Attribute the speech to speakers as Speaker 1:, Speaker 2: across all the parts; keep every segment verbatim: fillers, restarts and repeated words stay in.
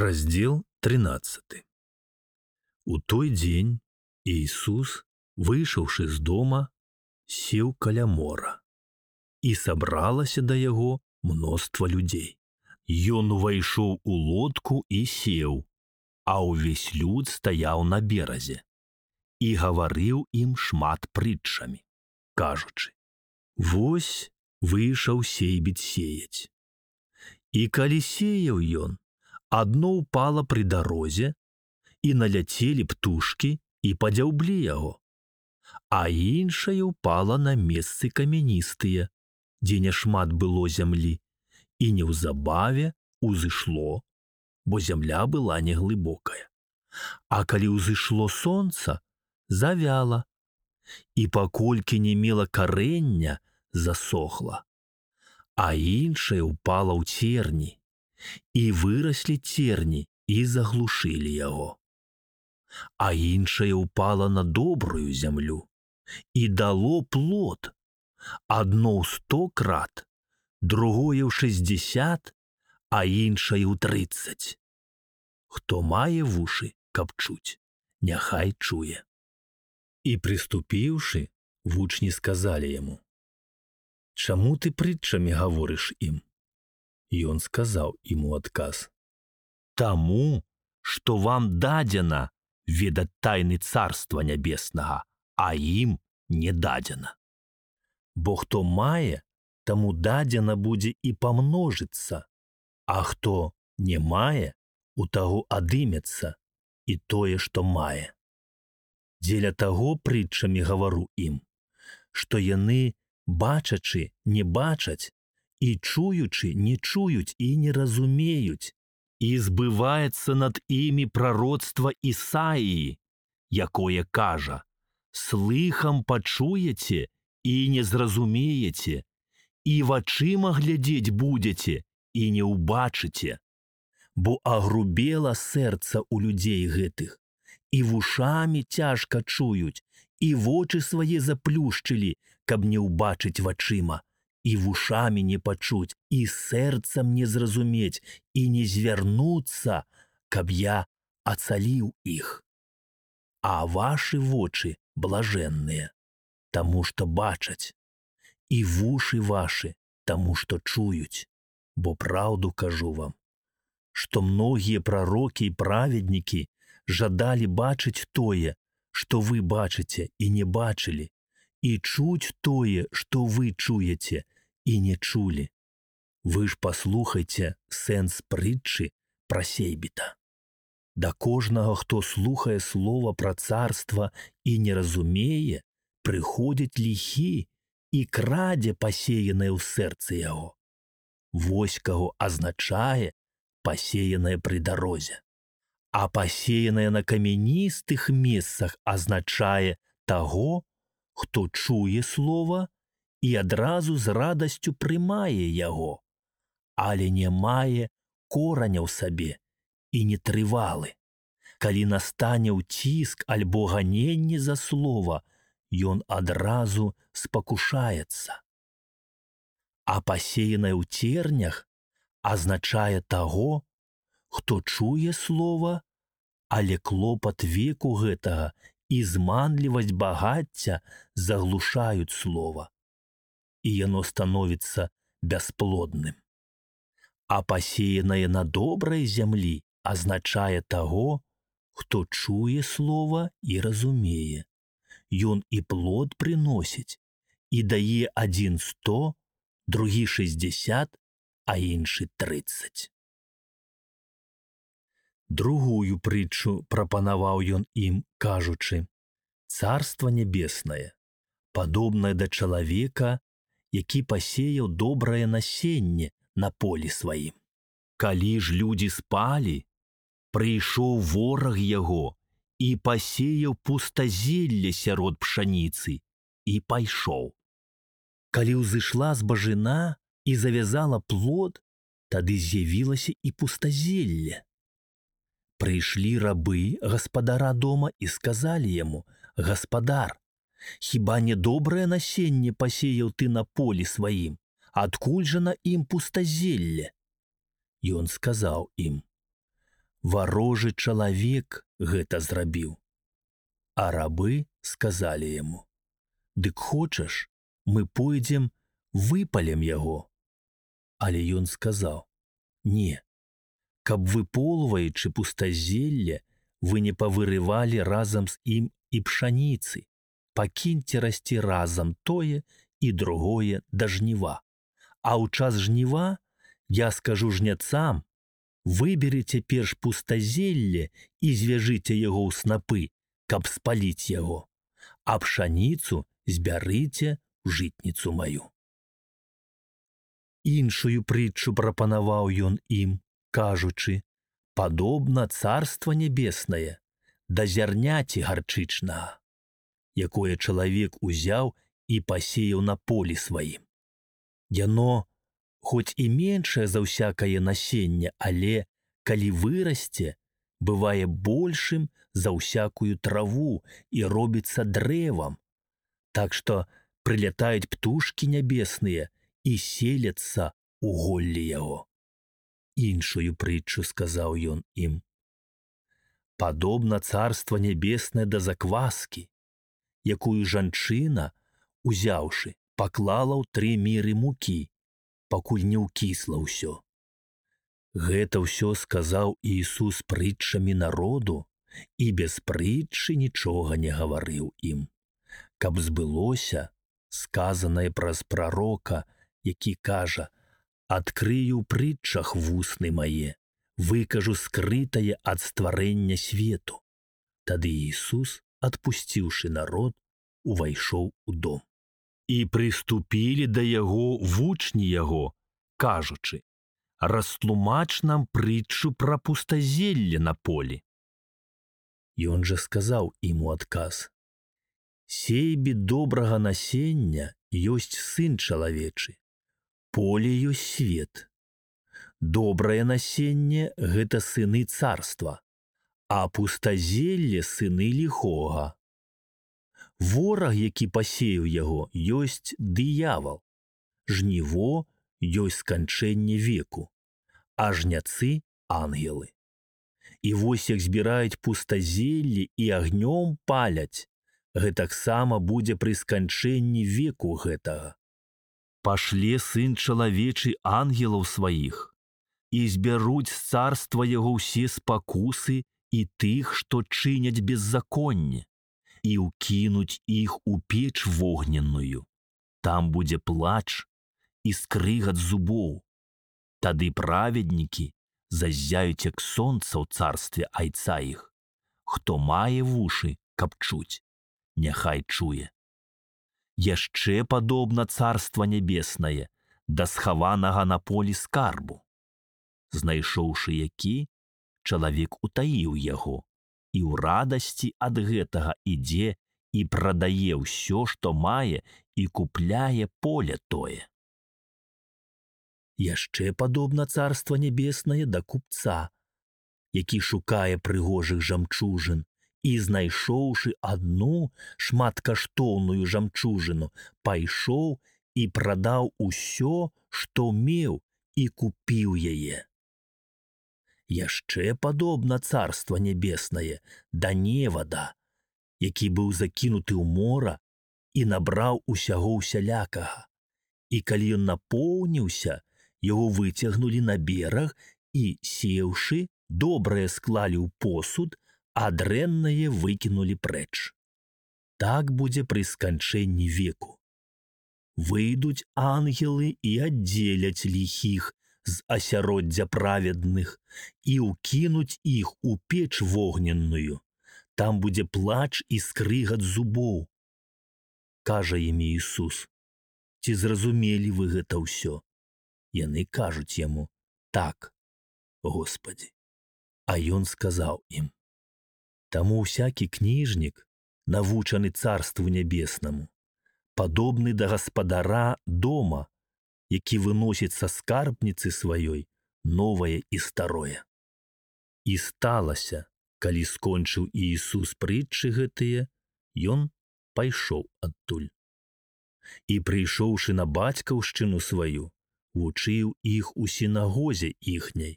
Speaker 1: Раздел тринадцаты. У той дзень Ісус, выйшаўшы з дома, сеў каля мора, і сабралася да яго мноства людзей. Ён увайшоў у лодку і сеў, а ўвесь люд стаяў на беразе і гаварыў ім шмат прытчамі, кажучы: «Вось выйшаў сейбіць сеяць. І калі сеяў ён, адно ўпала пры дарозе, і наляцелі птушкі і падзяўблі яго, а іншае ўпала на месцы камяністыя, дзе няшмат было зямлі, і неўзабаве узышло, бо зямля была неглыбокая. А калі ўзышло сонца, завяла, і паколькі не мела карэння, засохла, а іншае ўпала ў церні, і выраслі церні і заглушылі яго. А іншае ўпала на добрую зямлю і дало плод, адно ў сто крат, другое ў шэсцьдзесят, а іншае ў трыццаць. Хто мае вушы, каб чуць, няхай чуе». І прыступіўшы, вучні сказалі яму: «Чаму ты прытчамі гаворыш ім?» Ён сказаў ім у адказ: «Таму, што вам дадзена ведаць тайны царства нябеснага, а ім не дадзена. Бо хто мае, таму дадзена будзе і памножыцца, а хто не мае, у таго адымецца і тое, што мае. Дзеля таго прытчамі гавару ім, што яны, бачачы, не бачаць, і чуючы, не чуюць і не разумеюць, і збываецца над імі прароцтва Ісаіі, якое кажа: «Слыхам пачуеце і не зразумееце, і вачыма глядзець будзеце і не ўбачыце, бо агрубела сэрца ў людзей гэтых, і вушамі цяжка чуюць, і вочы свае заплюшчылі, каб не ўбачыць вачыма, і вушамі не пачуць, і сэрцам не зразумець, і не звярнуцца, каб я ацаліў іх. А вашы вочы блажэнныя, таму што бачаць, і вушы вашы, таму што чуюць. Бо праўду кажу вам, што многія прарокі і праведнікі жадалі бачыць тое, што вы бачыце і не бачылі, і чуць тое, што вы чуеце і не чулі. Вы ж паслухайце сэнс прытчы пра сейбіта. Да кожнага, хто слухае слова пра царства і не разумее, прыходзіць ліхі і крадзе пасеянае ў сэрцы яго. Вось каго азначае пасеянае пры дарозе. А пасеянае на камяністых месцах азначае таго, хто чуе слова і адразу з радасцю прымае яго, але не мае кораня ў сабе і не трывалы. Калі настане ўціск альбо ганенне за слова, ён адразу спакушаецца. А пасеянае ў цернях азначае таго, хто чуе слова, але клопат веку гэтага і зманлівасць багацця заглушаюць слова, і яно становіцца бясплодным. А пасеянае на добрай зямлі азначае таго, хто чуе слова і разумее. Ён і плод прыносіць, і дае адзін сто, другі шэсцьдзесят, а іншы трыццаць». Другую прытчу прапанаваў ён ім, кажучы: «Царства нябеснае падобнае да чалавека, які пасеяў добрае насенне на полі сваім. Калі ж людзі спалі, прыйшоў вораг яго і пасеяў пустазелле сярод пшаніцы і пайшоў. Калі ўзышла збажына і завязала плод, тады з'явілася і пустазелле. Прыйшлі рабы гаспадара дома і сказалі яму: «Гаспадар, хіба не добрае насенне пасеяў ты на полі сваім? Адкуль жа на ім пустазелле?» Ён сказаў ім: варожы чалавек гэта зрабіў. А рабы сказалі яму: «Дык хочаш, мы пойдзем, выпалем яго». Але ён сказаў: «Не, каб выполваючы пустазелле, вы не павырывалі разам з ім і пшаніцы, пакіньце расці разам тое і другое да жніва. А ў час жніва я скажу жняцам: выберыце перш пустазелле і звяжыце яго ў снапы, каб спаліць яго, а пшаніцу збярыце ў жытніцу маю». Іншую прытчу прапанаваў ён ім, кажучы: «Падобна царства нябеснае да зярняці гарчычнага, якое чалавек узяў і пасеяў на полі сваім. Яно, хоць і меншае за ўсякае насенне, але, калі вырасце, бывае большым за ўсякую траву і робіцца дрэвам, так што прылятаюць птушкі нябесныя і селяцца ў голлі яго». Іншую прытчу сказаў ён ім: «Падобна царства нябеснае да закваскі, якую жанчына, узяўшы, паклала ў тры міры мукі, пакуль не ўкісла ўсё». Гэта ўсё сказаў Ісус прытчамі народу і без прытчы нічога не гаварыў ім, каб збылося сказанае праз прарока, які кажа: «Адкрыю ў прытчах вусны мае, выкажу скрытае ад стварэння свету». Тады Ісус, адпусціўшы народ, увайшоў у дом. І прыступілі да яго вучні яго, кажучы: «Растлумач нам прытчу пра пустазелле на полі». Ён жа сказаў ім у адказ: «Сейбе добрага насення ёсць сын чалавечы, поле ёсць свет. Добрае насенне – гэта сыны царства, а пустазелле – сыны ліхога. Вораг, які пасеяў яго, ёсць дыявал. Жніво ёсць сканчэнне веку, а жняцы – ангелы. І вось як збіраюць пустазелле і агнём паляць, гэтаксама будзе пры сканчэнні веку гэтага. Пашле сын чалавечы ангелаў сваіх, і збяруць з царства яго ўсе спакусы і тых, што чыняць беззаконне, і ўкінуць іх у печ вогненную. Там будзе плач і скрыгат зубоў. Тады праведнікі заззяюць як сонца ў царстве айца іх. Хто мае вушы, каб чуць, няхай чуе. Яшчэ падобна царства нябеснае да схаванага на полі скарбу. Знайшоўшы які, чалавек утаіў яго, і ў радасці ад гэтага ідзе і прадае ўсё, што мае, і купляе поле тое. Яшчэ падобна царства нябеснае да купца, які шукае прыгожых жамчужын, і, знайшоўшы адну шматкаштоўную жамчужыну, пайшоў і прадаў усё, што меў, і купіў яе. Яшчэ падобна царства нябеснае да невада, які быў закінуты ў мора і набраў усяго усялякага. І калі ён напоўніўся, яго выцягнулі на бераг і, сеўшы, добрае склалі ў посуд, а дрэннае выкінулі прэч. Так будзе пры сканчэнні веку. Выйдуць ангелы і аддзеляць ліхіх з асяроддзя праведных і ўкінуць іх у печ вогненную. Там будзе плач і скрыгат зубоў. Кажа ім Ісус: «Ці зразумелі вы гэта ўсё?» Яны кажуць яму: «Так, Господі». А ён сказаў ім: «Таму ўсякі кніжнік, навучаны царству нябеснаму, падобны да гаспадара дома, які выносіць са скарбніцы сваёй новае і старое». І сталася, калі скончыў Ісус прытчы гэтыя, ён пайшоў адтуль. І, прыйшоўшы на бацькаўшчыну сваю, вучыў іх у сінагозе іхняй.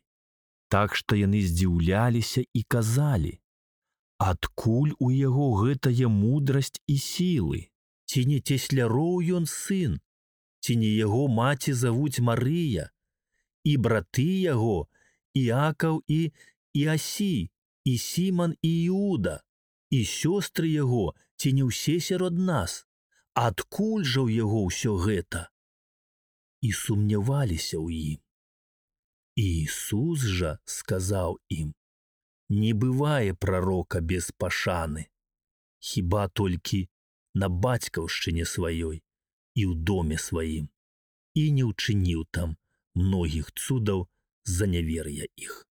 Speaker 1: Так што яны здзіўляліся і казалі: адкуль у яго гэтая мудрасць і сілы? Ці не цесляроў ён сын? Ці не яго маці завуць Марыя? І браты яго Іакаў і Іасі, і Сіман і Іуда, і сёстры яго, ці не ўсе сярод нас? Адкуль жа ў яго ўсё гэта? І сумняваліся ў ім. Ісус жа сказаў ім: не бывае прарока без пашаны, хіба толькі на бацькаўшчыне сваёй і ў доме сваім, і не ўчыніў там многіх цудаў з-за нявер'я іх.